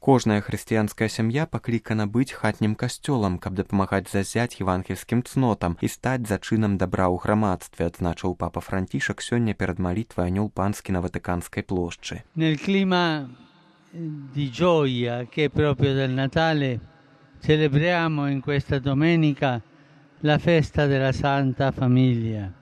Кожная хрысціянская сям'я паклікана быць хатнім касцёлам, каб дапамагаць зазяць евангельскім цнотам і стаць зачынам дабра ў грамадстве, адзначыў папа Францішак сёння перад малітвай Анёл Панскі на Ватыканскай плошчы. Nel clima di gioia che è proprio del Natale, celebriamo in questa domenica la festa della Santa Famiglia.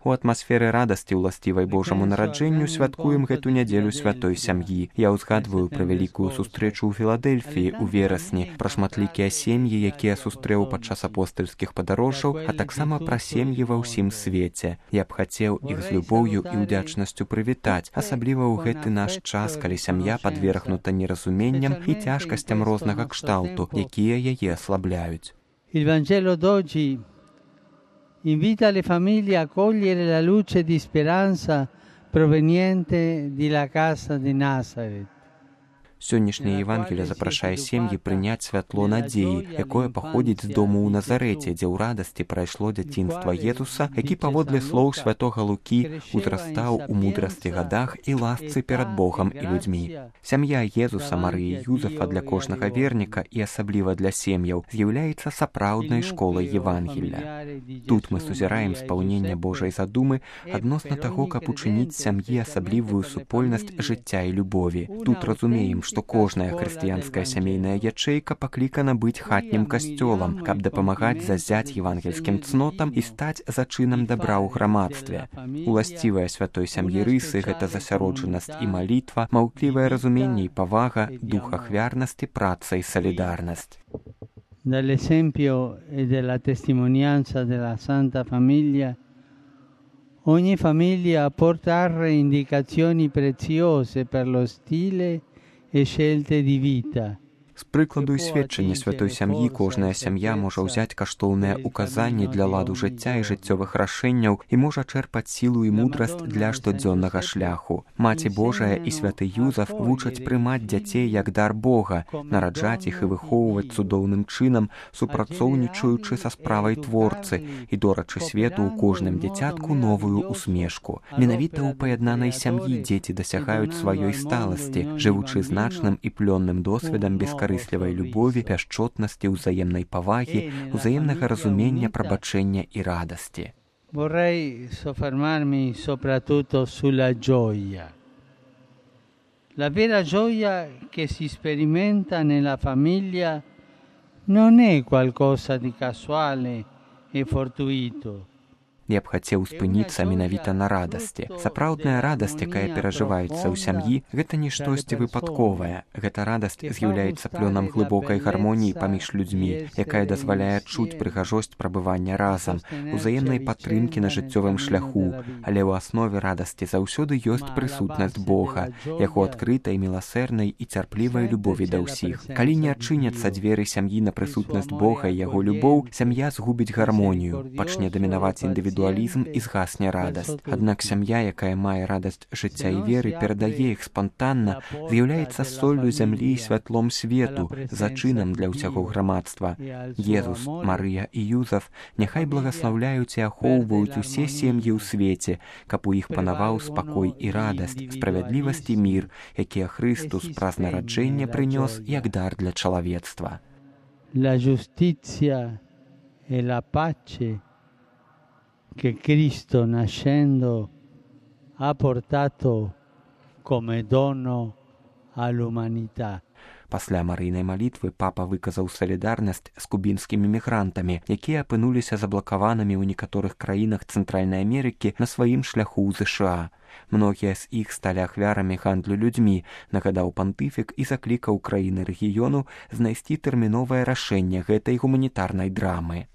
У атмасферы радасці, уласцівай Божаму нараджэнню, святкуем гэту нядзелю святой сям'і. Я ўзгадваю пра вялікую сустрэчу ў Філадэльфіі ў верасні, пра шматлікія сем'і, якія сустрэў падчас апостальскіх падарожжаў, а таксама пра сем'і ва ўсім свеце. Я б хацеў іх з любоўю і ўдзячнасцю прывітаць, асабліва ў гэты наш час, калі сям'я падвергнута неразуменням і цяжкасцям рознага кшталту, якія яе аслабляюць. Il Vangelo d'oggi invita le famiglie a cogliere la luce di speranza proveniente dalla casa di Nazaret. Сённяшняе Евангелие запрашае сем'і прыняць святло надзеі, якое паходзіць з дому ў Назарэце, дзе ў радасці прайшло дзяцінства Езуса, які паводле слоў святога Лукі узрастаў у мудрасці гадах і ласцы перад Богам і людзьмі. Сям'я Езуса, Марыі, Юзефа для кожнага верніка і асабліва для сем'яў з'яўляецца сапраўднай школай Евангелля. Тут мы сузіраем спаўненне Божай задумы адносна таго, каб учыніць сям'і асаблівую супольнасць жыцця і любові. Тут разумеем, што кожная хрысціянская сямейная ячэйка паклікана быць хатнім касцёлам, каб дапамагаць зазяць евангельскім цнотам і стаць зачынам дабра ў грамадстве. Уласцівая святой сям'і рысы — гэта засяроджанасць і малітва, маўклівае разуменне і павага, дух ахвярнасці, праца і салідарнасць. Dall'esempio e della testimonianza della Santa Famiglia, ogni famiglia può trarre indicazioni preziose per lo stile e scelte di vita. З прыкладу і сведчання святой сям'і кожная сям'я можа ўзяць каштоўныя указанні для ладу жыцця і жыццёвых рашэнняў і можа чэрпаць сілу і мудрасць для штодзённага шляху. Маці Божая і святы Юзаф вучаць прымаць дзяцей як дар Бога, нараджаць іх і выхоўваць цудоўным чынам, супрацоўнічаючы са справай творцы і дорачы свету ў кожным дзіцятку новую усмешку. Менавіта ў паяднанай сям'і дзеці дасягаюць сваёй сталасці, жывучы значным і плённым досведам бескарыслівай любові, пяшчотнасці, узаемнай павагі, узаемнага разумення, прабачэння і радасці. Vorrei soffermarmi soprattutto sulla gioia. La vera gioia che si sperimenta nella famiglia non è qualcosa di casuale e fortuito. Я б хацеў спыніцца менавіта на радасці. Сапраўдная радасць, якая перажываецца ў сям'і, гэта не штосьці выпадковае. Гэта радасць з'яўляецца плёнам глыбокай гармоніі паміж людзьмі, якая дазваляе чуць прыгажосць прабывання разам, узаемнай падтрымкі на жыццёвым шляху, але ў аснове радасці заўсёды ёсць прысутнасць Бога, яго адкрытай, міласэрнай і цярплівай любові да ўсіх. Калі не адчыняцца дзверы сям'і на прысутнасць Бога і яго любоў, сям'я згубіць гармонію, пачне дамінаваць індывідуалізм і згасне радасць. Аднак сям'я, якая мае радасць жыцця і веры, перадае іх спантанна, з'яўляецца соллю зямлі і святлом свету, зачынам для ўсяго грамадства. Езус, Марыя і Юзаф няхай благаслаўляюць і ахоўваюць усе сем'і ў свеце, каб у іх панаваў спакой і радасць, справядлівасць і мір, якія Христус праз нараджэнне прынёс як дар для чалавецтва. La giustizia e la pace che Cristo nascendo ha portato come dono all'umanità. Пасля марыйнай малітвы папа выказаў салідарнасць з кубінскімі мігрантамі, якія апынуліся заблакаванымі ў некаторых краінах Цэнтральнай Амерыкі на сваім шляху ў ЗША. Многія з іх сталі ахвярамі гандлю людзьмі, нагадаў пантыфік і заклікаў краіны рэгіёну знайсці тэрміновае рашэнне гэтай гуманітарнай драмы.